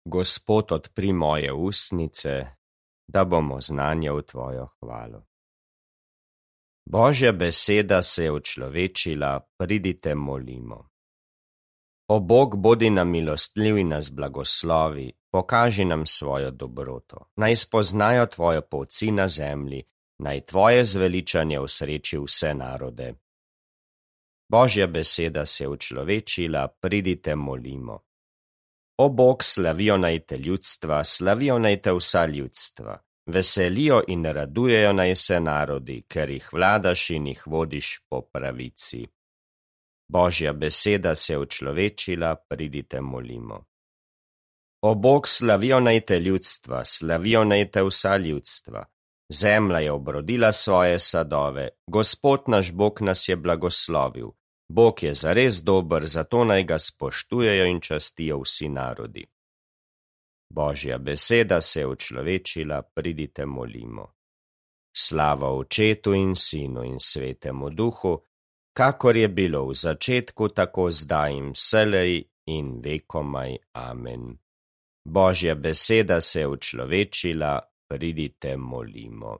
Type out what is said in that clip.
Gospod, odpri moje ustnice, da bom oznanjal tvojo hvalo. Božja beseda se je učlovečila, pridite molimo. O Bog, bodi nam milostljiv in nas blagoslovi, pokaži nam svojo dobroto. Naj spoznajo tvojo polci na zemlji, naj tvoje zveličanje osreči vse narode. Božja beseda se je učlovečila, pridite molimo. O Bog, slavijo naj te ljudstva, slavijo naj te vsa ljudstva. Veselijo in radujejo naj se narodi, ker jih vladaš in jih vodiš po pravici. Božja beseda se je učlovečila, pridite molimo. O Bog, slavijo naj te ljudstva, slavijo naj te vsa ljudstva. Zemlja je obrodila svoje sadove, Gospod naš Bog nas je blagoslovil. Bog je zares dober, zato naj ga spoštujejo in častijo vsi narodi. Božja beseda se je učlovečila, pridite molimo. Slava Očetu in Sinu in Svetemu Duhu, kakor je bilo v začetku, tako zdaj in vselej in vekomaj. Amen. Božja beseda se je učlovečila, pridite molimo.